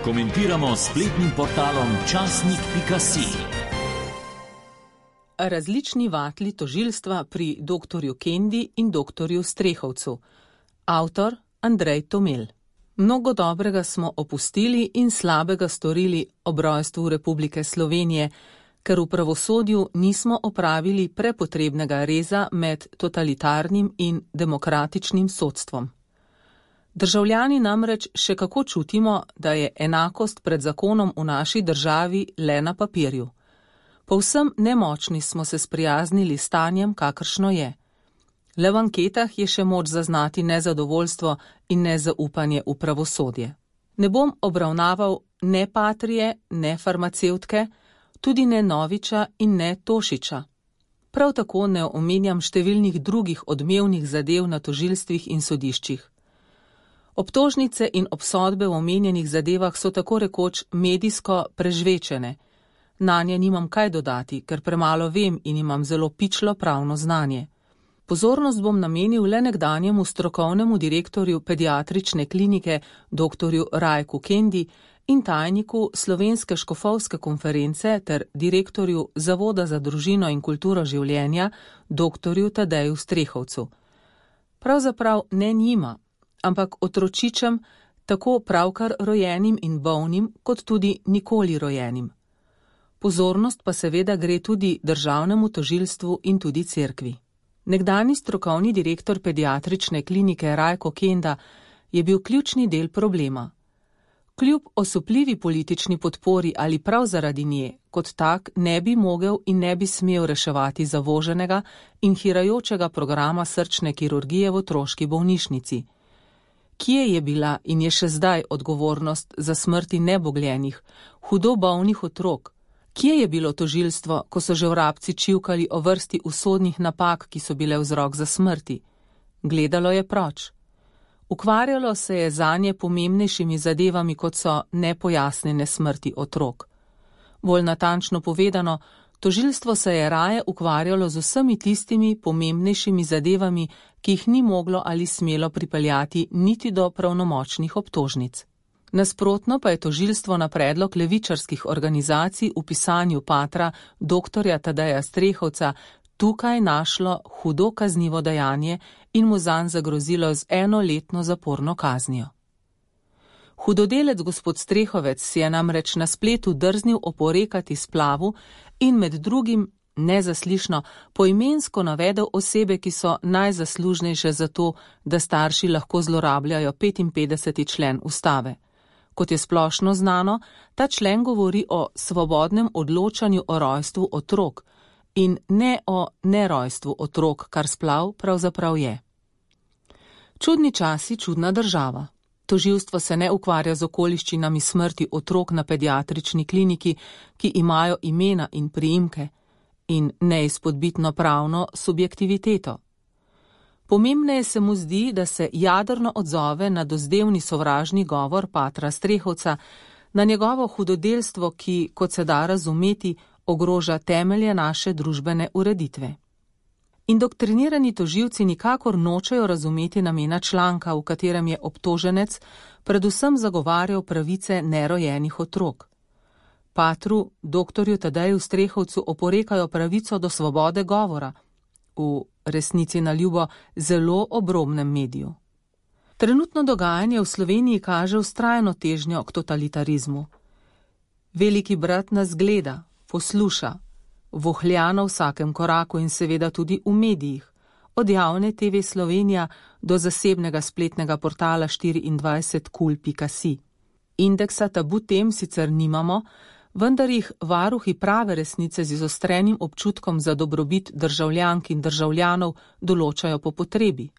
Komentiramo spletnim portalom časnik.si. Različni vatli tožilstva pri doktorju Kendi in doktorju Strehovcu. Avtor Andrej Tomel. Mnogo dobrega smo opustili in slabega storili ob rojstvu Republike Slovenije, ker v pravosodju nismo opravili prepotrebnega reza med totalitarnim in demokratičnim sodstvom. Državljani namreč še kako čutimo, da je enakost pred zakonom v naši državi le na papirju. Povsem nemočni smo se sprijaznili s stanjem, kakršno je. Le v anketah je še moč zaznati nezadovoljstvo in nezaupanje v pravosodje. Ne bom obravnaval ne Patrije, ne farmacevtke, tudi ne Noviča in ne Tošiča. Prav tako ne omenjam številnih drugih odmevnih zadev na tožilstvih in sodiščih. Obtožnice in obsodbe v omenjenih zadevah so tako rekoč medijsko prežvečene. Nanje nimam kaj dodati, ker premalo vem in imam zelo pičlo pravno znanje. Pozornost bom namenil le nekdanjemu strokovnemu direktorju pediatrične klinike doktorju Rajku Kendi in tajniku Slovenske škofovske konference ter direktorju Zavoda za družino in kulturo življenja doktorju Tadeju Strehovcu. Pravzaprav ne njima, ampak otročičem, tako pravkar rojenim in bolnim, kot tudi nikoli rojenim. Pozornost pa seveda gre tudi državnemu tožilstvu in tudi cerkvi. Nekdanji strokovni direktor pediatrične klinike Rajko Kenda je bil ključni del problema. Kljub osupljivi politični podpori ali prav zaradi nje, kot tak ne bi mogel in ne bi smel reševati zavoženega in hirajočega programa srčne kirurgije v otroški bolnišnici. Kje je bila in je še zdaj odgovornost za smrti nebogljenih, hudo bolnih otrok? Kje je bilo tožilstvo, ko so že vrabci čivkali o vrsti usodnih napak, ki so bile vzrok za smrti? Gledalo je proč. Ukvarjalo se je zanje pomembnejšimi zadevami, kot so nepojasnjene smrti otrok. Bolj natančno povedano, tožilstvo se je raje ukvarjalo z vsemi tistimi pomembnejšimi zadevami, ki jih ni moglo ali smelo pripeljati niti do pravnomočnih obtožnic. Nasprotno pa je tožilstvo na predlog levičarskih organizacij v pisanju patra doktorja Tadeja Strehovca tukaj našlo hudo kaznivo dejanje in mu zanj zagrozilo z 1-letno zaporno kaznijo. Hudodelec gospod Strehovec si je namreč na spletu drznil oporekati splavu in med drugim nezaslišno poimensko navedel osebe, ki so najzaslužnejše za to, da starši lahko zlorabljajo 55. člen ustave. Kot je splošno znano, ta člen govori o svobodnem odločanju o rojstvu otrok in ne o nerojstvu otrok, kar splav pravzaprav je. Čudni časi, čudna država. Tožilstvo se ne ukvarja z okoliščinami smrti otrok na pediatrični kliniki, ki imajo imena in priimke, in neizpodbitno pravno subjektiviteto. Pomembneje se mu zdi, da se jadrno odzove na dozdevni sovražni govor patra Strehovca, na njegovo hudodelstvo, ki, kot se da razumeti, ogroža temelje naše družbene ureditve. Indoktrinirani tožilci nikakor nočejo razumeti namena članka, v katerem je obtoženec predvsem zagovarjal pravice nerojenih otrok. Patru, doktorju Tadeju Strehovcu oporekajo pravico do svobode govora, v resnici na ljubo zelo obrobnem mediju. Trenutno dogajanje v Sloveniji kaže vztrajno težnjo k totalitarizmu. Veliki brat nas gleda, posluša, vohlja na vsakem koraku in seveda tudi v medijih, od javne TV Slovenija do zasebnega spletnega portala 24kul.si. Indeksa tabu tem sicer nimamo, vendar jih varuhi prave resnice z izostrenim občutkom za dobrobit državljank in državljanov določajo po potrebi.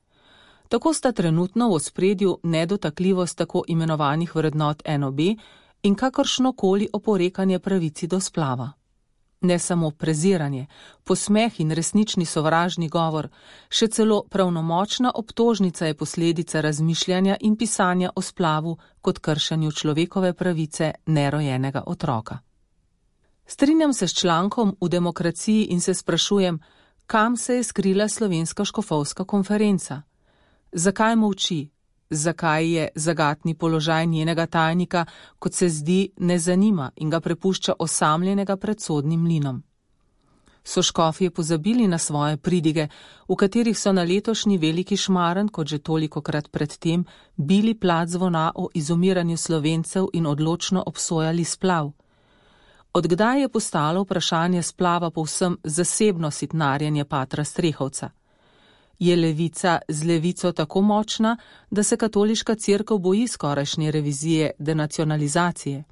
Tako sta trenutno v ospredju nedotakljivost tako imenovanih vrednot NOB in kakršnokoli oporekanje pravici do splava. Ne samo preziranje, posmeh in resnični sovražni govor, še celo pravnomočna obtožnica je posledica razmišljanja in pisanja o splavu kot kršenju človekove pravice nerojenega otroka. Strinjam se s člankom v Demokraciji in se sprašujem, kam se je skrila Slovenska škofovska konferenca? Zakaj molči? zakaj je zagatni položaj njenega tajnika, kot se zdi, ne zanima in ga prepušča osamljenega pred sodnim mlinom. So škofje pozabili na svoje pridige, v katerih so na letošnji veliki šmaren, kot že tolikokrat predtem, bili plat zvona o izumiranju Slovencev in odločno obsojali splav? Odkdaj je postalo vprašanje splava povsem zasebno sitnarjenje patra Strehovca? Je levica z levico tako močna, da se katoliška cerkev boji skorajšnje revizije denacionalizacije?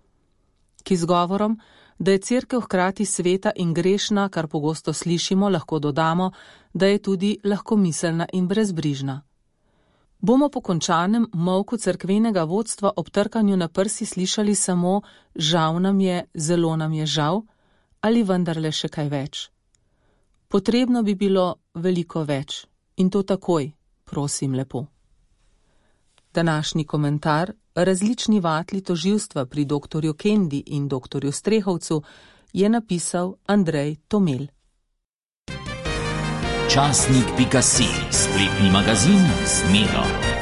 K izgovorom, da je cerkev hkrati sveta in grešna, kar pogosto slišimo, lahko dodamo, da je tudi lahkomiselna in brezbrižna. Bomo po končanem molku cerkvenega vodstva ob trkanju na prsi slišali samo žal nam je, zelo nam je žal, ali vendarle še kaj več? Potrebno bi bilo veliko več. In to takoj, prosim lepo. Današnji komentar, različni vatli tožilstva pri doktorju Kendi in doktorju Strehovcu, je napisal Andrej Tomel. Časnik.si, spletni magazin z Medo.